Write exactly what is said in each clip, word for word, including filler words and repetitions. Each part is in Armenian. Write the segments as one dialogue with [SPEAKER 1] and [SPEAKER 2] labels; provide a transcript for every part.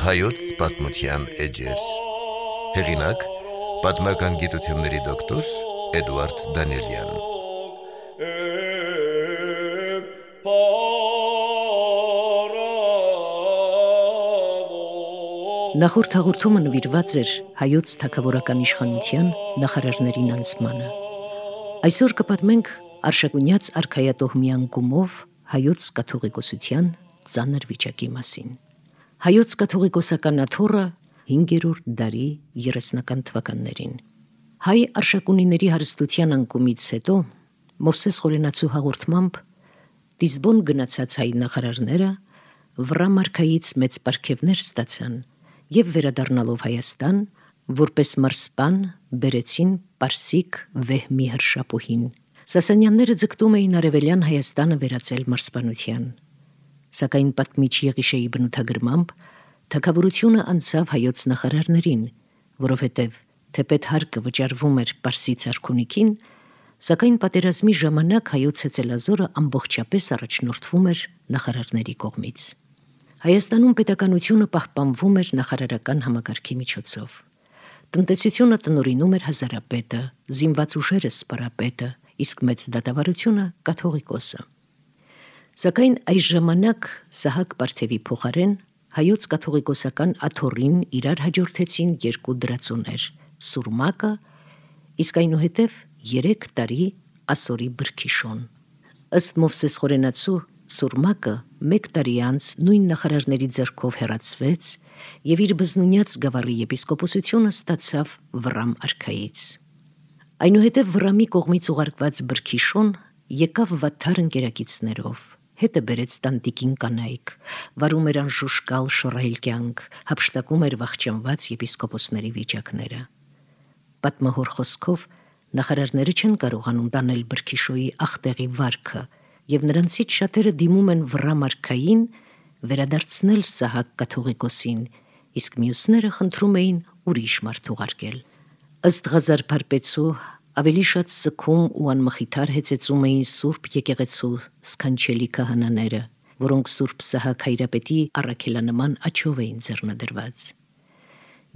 [SPEAKER 1] Հայոց պատմության էջեր։ Հեղինակ՝ պատմական գիտությունների դոկտոր Էդուարդ Դանիելյան։
[SPEAKER 2] Նախորդ հաղորդումը նվիրված էր հայոց թագավորական իշխանության նախարարներին անցմանը։ Այսօր կպատմենք Արշակունյաց արքայատոհմի անկումով հայոց կաթողիկոսության ծանր վիճակի մասին։ Հայոց կաթողիկոսական աթոռը հինգերորդ դարի երեսնական թվականներին։ Հայ արշակունիների հարստության անկումից հետո Մովսես Խորենացու հաղորդմամբ Տիզբոն գնացած հայ նախարարները Վռամ արքայից մեծ պարգևներ ստացան և վերադառնալով Հայաստան, որպես մարզպան բերեցին պարսիկ Վեհմի հրշապուհին։ Սասանյանները ձգտում էին արևելյան Հայաստանը վերածել մարզպանության։ Սակայն պատմիչ Եղիշեի բնութագրմամբ թագավորությունը անցավ հայոց նախարարներին, որովհետև թեպետ հարկը վճարվում էր պարսից արքունիքին, սակայն պատերազմի ժամանակ հայոց հեծելազորը ամբողջապես առաջնորդվում էր նախարարների կողմից։ Հայաստանում պետականությունը պահպանվում էր նախարարական համակարգի միջոցով։ Տնտեսությունը տնօրինում էր հազարապետը, զինված ուժերը սպարապետը, իսկ մեծ դատավարությունը կաթողիկոսը։ Սակայն այս ժամանակ Սահակ Պարթևի փոխարեն հայոց կաթողիկոսական աթոռին իրար հաջորդեցին երկու դրածոներ՝ Սուրմակը, իսկ այնուհետև երեք տարի ասորի Բրգիշոն։ Ըստ Մովսես Խորենացու Սուրմակը մեկ տարի անց նույն նախարարների ձեռքով հեռացվեց և իր բզնունյաց գավառի եպիսկոպոսությունը ստացավ Վռամ արքայից։ Այնուհետև Վռամի կողմից ուղարկված Բրգիշոն եկավ վատթար ընկերակիցներով, հետը բերեց տանտիկին կանայք, վարում էր անժուշկալ շռայլ կյանք, հափշտակում էր վախճանված եպիսկոպոսների վիճակները։ Պատմահոր խոսքով նախարարները չեն կարողանում տանել Բրգիշոյի ախտեղի վարքը, և նրանցից շատերը դիմում են Վռամ արքային վերադարձնել Սահակ կաթողիկոսին, իսկ մյուսները խնդրում էին ուրիշ մարդ ուղարկել։ Ըստ Ղազար Փարպեցու ավելի շատ սգում ու անմխիթար հեծեծում էին Սուրբ եկեղեցու սքանչելի քահանաները, որոնք Սուրբ Սահակ հայրապետի առաքելանման աջով էին ձեռնադրված։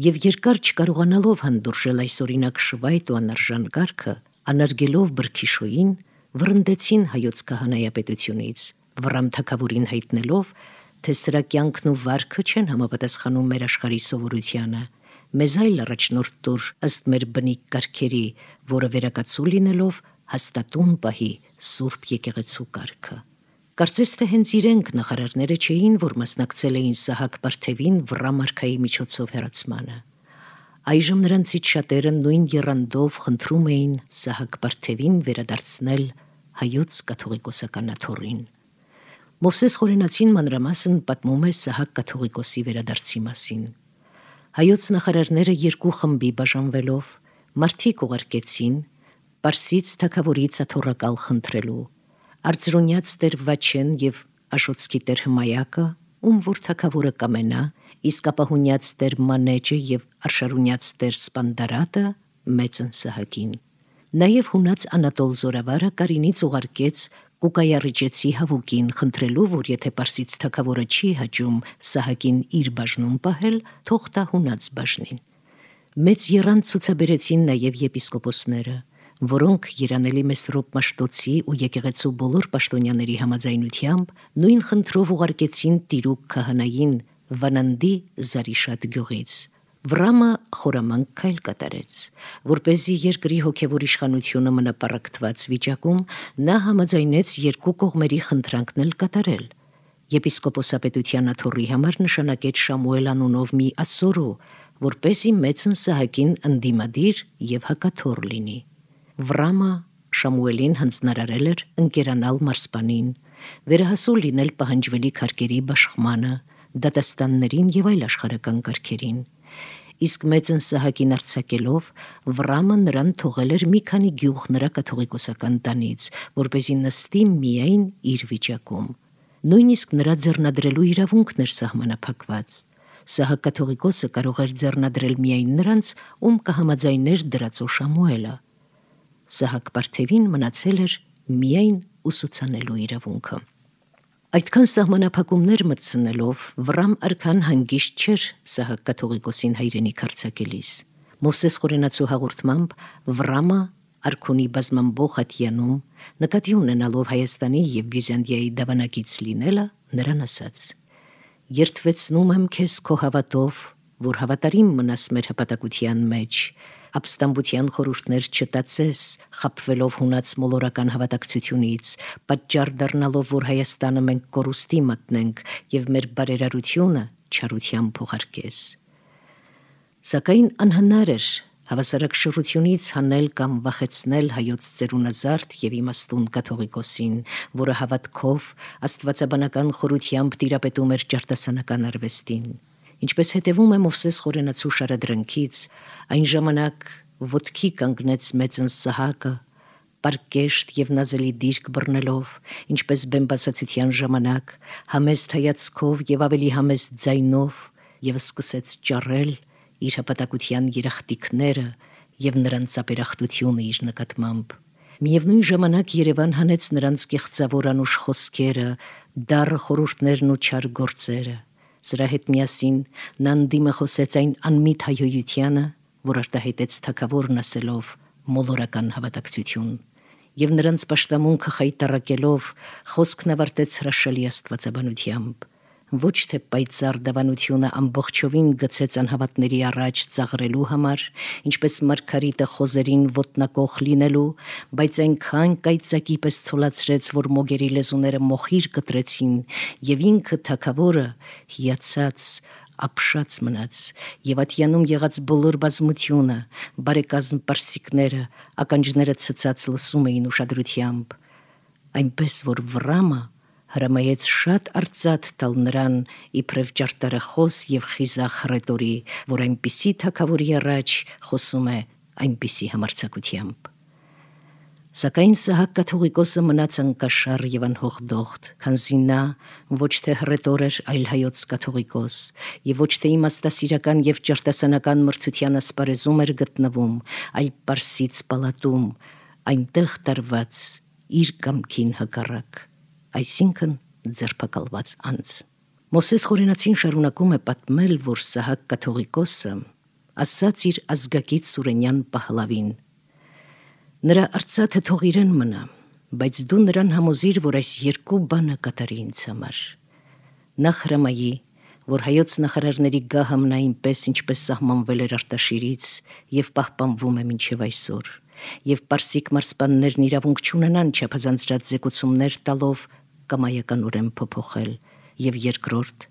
[SPEAKER 2] Եվ երկար չկարողանալով հանդուրժել այս օրինակ շվայտ ու անարժան կարգը, անարգելով Բրգիշոյին, վռնդեցին հայոց քահանայապետությունից, Վռամ թագավորին հայտնելով, թե սրա կյանքն ու վարքը չեն համապատասխանում մեր աշխարհի սովորությանը, մեզ այլ առաջնորդ տուր ըստ մեր բնիկ կարգերի, որը վերակացու լինելով հաստատուն պահի Սուրբ եկեղեցու կարգը։ Կարծես թե հենց իրենք նախարարները չէին, որ մասնակցել էին Սահակ Պարթևին Վռամ արքայի միջոցով հեռացմանը։ Այժմ նրանցից շատերը նույն եռանդով խնդրում էին Սահակ Պարթևին վերադարձնել հայոց կաթողիկոսական աթոռին։ Մովսես Խորենացին մանրամասն պատմում է Սահակ կաթողիկոսի վերադարձի մասին։ Հայոց նախարարները երկու խմբի բաժանվելով մարդիկ ուղարկեցին Պարսից թագավորից աթոռակալ խնդրելու, Արծրունյաց տեր Վաչեն և Աշոտսկի տեր Հմայակը, ում որ թագավորը կամենա, իսկ Ապահունյաց տեր Մանեջը և Արշարունյաց տեր Սպանդարատը մեծն Սահակին։ Նաև հունած Անատոլ Զորավարը Կարինից ուղարկեց Կուկայարիջեցի Հավուկին խնդրելու, որ եթե պարսից թագավորը չի հաճում Սահակին իր բաժնում պահել, թող տա հունած բաժնին։ Մեծ եռանդ ցուցաբերեցին նաև եպիսկոպոսները, որոնք Երանելի Մեսրոպ Մաշտոցի ու եկեղեցու բոլոր պաշտոնյաների համաձայնությամբ նույն խնդրով ուղարկեցին Տիրուկ քահանային Վանանդի Զարիշատ գյուղից։ Վռամը խորամանկ քայլ կատարեց, որպեսզի երկրի հոգևոր իշխանությունը մնա պառակտված վիճակում, նա համաձայնեց երկու կողմերի խնդրանքն էլ կատարել։ Եպիսկոպոսապետության աթոռի համար նշանակեց Շամուել անունով մի ասորու, որպեսզի մեծն Սահակին ընդդիմադիր և հակաթոռ լինի։ Վռամը Շամուելին հանձնարարել էր ընկերանալ մարզպանին, վերահասու լինել պահանջվելի քարկերի բաշխմանը, դատաստաններին և այլ աշխարհական կարգերին։ Իսկ մեծն Սահակին արձակելով, Վռամը նրան թողել էր մի քանի գյուղ նրա կաթողիկոսական տանից, որպեսզի նստի միայն իր վիճակում։ Նույնիսկ նրա ձեռնադրելու իրավունքն էր սահմանափակված։ Սահակ կաթողիկոսը կարող էր ձեռնադրել միայն նրանց, ում կհամաձայներ դրածո Շամուելը։ Սահակ Պարթևին մնացել էր միայն ուսուցանելու իրավունքը։ Այդքան սահմանափակումներ մտցնելով Վռամ արքան հանգիստ չէր Սահակ կաթողիկոսին հայրենիք արձակելիս։ Մովսես Խորենացու հաղորդմամբ Վռամը արքունի բազմամբող ատյանում, նկատի ունենալով Հայաստանի և Բյուզանդիայի դավանագից լինելը, նրան ասաց. «Երդվեցնում եմ քեզ քո հավատով, որ հավատարիմ մնաս մեր հպատակության մեջ, ապստամբության խորհուրդներ չտածես, խաբվելով հունած մոլորական հավատակցությունից, պատճառ դառնալով, որ Հայաստանը մենք կորուստի մատնենք և մեր բարերարությունը չարությամբ փոխարկես»։ Սակայն անհնար էր հավասարակշռությունից հանել կամ վախեցնել հայոց ծերունազարդ և իմաստուն կաթողիկոսին, որը հավատքով, աստվածաբանական խորությամբ տիրապետում էր ճարտասանական արվեստին։ Ինչպես հետևում է Մովսես Խորենացու շարադրանքից, այն ժամանակ ոտքի կանգնեց մեծն Սահակը, պարկեշտ և նազելի դիրք բռնելով, ինչպես բեմբասացության ժամանակ, համեստ հայացքով և ավելի համեստ ձայնով, և սկսեց ճառել իր հպատակության երախտիկները և նրանց ապերախտությունը իր նկատմամբ։ Միևնույն ժամանակ Երևան հանեց նրանց կեղծավոր անուշ խոսքերը, դառը խորհուրդներն ու չար գործերը։ Սրա հետ միասին նա ընդդիմը խոսեց այն անմիտ հայհոյությանը, որ արտահայտեց թագավորն ասելով մոլորական հավատակցություն, և նրանց պաշտամունքը խայտառակելով խոսքն ավարտեց հրաշալի աստվածաբանությամբ։ Ոչ թե պայծառ դավանությունը ամբողջովին գցեց անհավատների առաջ ծաղրելու համար, ինչպես մարգարիտը խոզերին ոտնակոխ լինելու, բայց այնքան կայծակի պես ցոլացրեց, որ մոգերի լեզուները մոխիր կտրեցին, և ինքը թագավորը հիացած, ապշած մնաց, և ատյանում եղած բոլոր բազմությունը, բարեկազմ պարսիկները, ականջները ցցած լսում էին ուշադրությամբ, այնպես որ Վռամը հրամայեց շատ արծաթ տալ նրան իբրև ճարտարախոս և խիզախ հռետորի, որ այնպիսի թագավորի առաջ խոսում է այնպիսի համարձակությամբ։ Սակայն Սահակ կաթողիկոսը մնաց անկաշառ և անհողդողդ, քանզի նա ոչ թե հռետոր էր, այլ հայոց կաթողիկոս, և ոչ թե իմաստասիրական և ճարտասանական մրցության ասպարեզում էր գտնվում, այլ Պարսից պալատում, այնտեղ տարված իր կամքին հակառակ, այսինքն ձերբակալված անձ։ Մովսես Խորենացին շարունակում է պատմել, որ Սահակ կաթողիկոսը ասաց իր ազգակից Սուրենյան Պահլավին. «Նրա արծաթը թող իրեն մնա, բայց դու նրան համոզիր, որ այս երկու բանը կատարի ինձ համար. Նախ հրամայի, որ հայոց նախարարների գահը մնա այնպես, ինչպես սահմանվել էր Արտաշիրից և պահպանվում է մինչև այսօր, և պարսիկ մարզպաններն իրավունք չունենան չափազանցրած զեկուցումներ տալով կամայականորեն փոփոխել, և երկրորդ,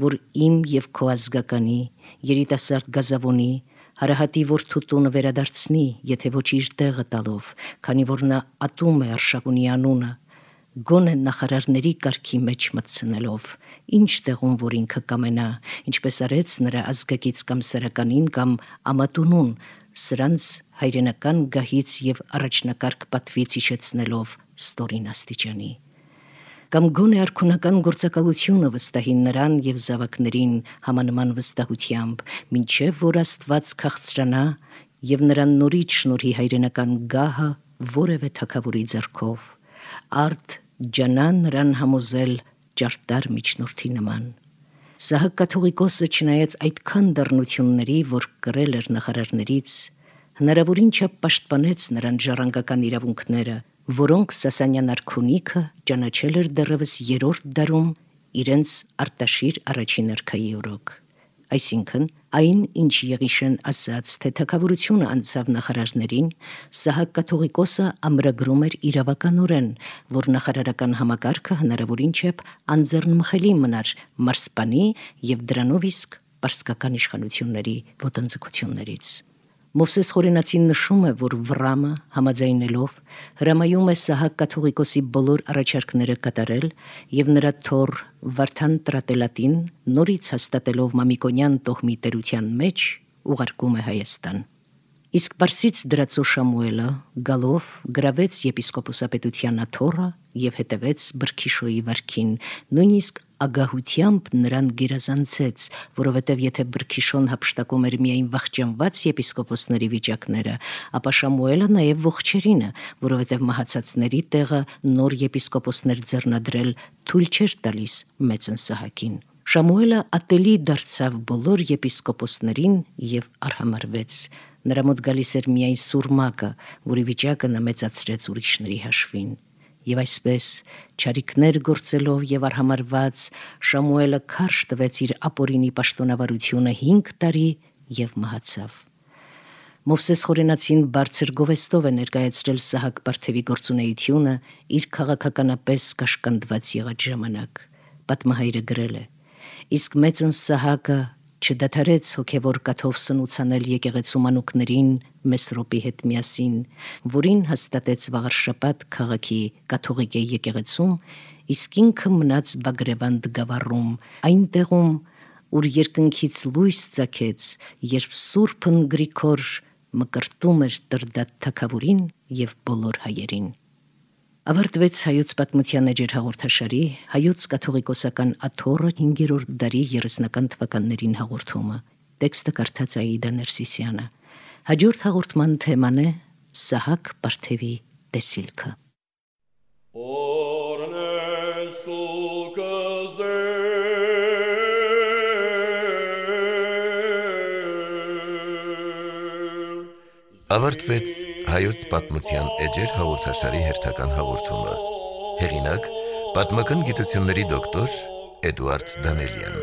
[SPEAKER 2] որ իմ և քո ազգականի, երիտասարդ Գազավոնի, Հարահատի որդու տունը վերադարձնի, եթե ոչ իր տեղը տալով, քանի որ նա ատում է Արշակունի անունը, գոնե նախարարների կարգի մեջ մտցնելով, ինչ տեղում որ ինքը կամենա, ինչպես արեց նրա ազգակից կամ սարականին կամ ամատունուն, սրանց հայրենական գահից և առաջնակարգ պատվից իջեցնելով ստորին աստիճանի, կամ գոնե արքունական գործակալությունը վստահի նրան և զավակներին համանման վստահությամբ, մինչև որ Աստված քաղցրանա և նրան նորից շնորհի հայրենական գահը որևէ թագավորի ձեռքով, արդ ջանա նրան համոզել ճարտար միջնորդի նման»։ Սահակ կաթողիկոսը, չնայած այդքան դառնությունների, որ կրել էր նախարարներից, հնարավորին չափ պաշտպանեց նրան ժառանգական իրավունքները, որոնք Սասանյան արքունիքը ճանաչել էր դեռևս երրորդ դարում իրենց Արտաշիր առաջին արքայի օրոք, այսինքն այն, ինչ Եղիշեն ասաց, թե թագավորությունը անցավ նախարարներին, Սահակ կաթողիկոսը ամրագրում էր իրավականորեն, որ նախարարական համակարգը հնարավորին չափ անձեռնմխելի մնար մարզպանի և դրանով իսկ պարսկական իշխանությունների ոտնձգություններից։ Մովսես Խորենացին նշում է, որ Վռամը համաձայնելով հրամայում է Սահակ կաթողիկոսի բոլոր առաջարկները կատարել և նրա թոռ Վարդան Տրատելատին նորից հաստատելով Մամիկոնյան տոհմի տերության մեջ ուղարկում է Հայաստան։ Իսկ Պարսից դրածո Շամուելը գալով գրավեց եպիսկոպոսապետության աթոռը եւ հետևեց Բրքիշոյի վարքին, նույնիսկ ագահությամբ նրան գերազանցեց, որովհետև եթե Բրքիշոն հափշտակում էր միայն վախճանված եպիսկոպոսների վիճակները, ապա Շամուելը նաև ողջերինը, որովհետև մահացածների տեղը նոր եպիսկոպոսներ ձեռնադրել թույլ չէր տալիս մեծն Սահակին։ Շամուելը ատելի դարձավ բոլոր եպիսկոպոսներին եւ արհամարվեց։ Նրա մոտ գալիս էր միայն սուրմակը, որի վիճակը նա մեծացրեց ուրիշների հաշվին։ Եվ այսպես, չարիքներ գործելով եւ արհամարված, Շամուելը քարշ տվեց իր ապօրինի պաշտոնավարությունը հինգ տարի եւ մահացավ։ Մովսես Խորենացին բարձր գովեստով է ներկայացրել Սահակ Պարթևի գործունեությունը իր քաղաքականապես կաշկանդված եղած ժամանակ։ Պատմահայրը գրել է. իսկ մեծն Սահակը չդադարեց հոգևոր կաթով սնուցանել եկեղեցու մանուկներին Մեսրոպի հետ միասին, որին հաստատեց Վաղարշապատ քաղաքի կաթողիկ եկեղեցում, իսկ ինքը մնաց Բագրևանդ գավառում, այնտեղում, ուր երկնքից լույս ծագեց, երբ Սուրբն Գրիգոր մկրտում էր Տրդատ թագավորին եւ բոլոր հայերին։ Ավարտվեց հայոց պատմության էջեր հաղորդաշարի հայոց կաթողիկոսական աթոռը հինգերորդ դարի երեսնական թվականներին հաղորդումը։ Տեքստը կարդաց Աիդա Ներսիսյանը։ Հաջորդ հաղորդման թեման է Սահակ Պարթևի տեսիլքը։
[SPEAKER 1] Ավարտվեց հայոց պատմության էջեր հաղորդաշարի հերթական հաղորդումը։ Հեղինակ՝ պատմական գիտությունների դոկտոր Էդուարդ Դանելյան։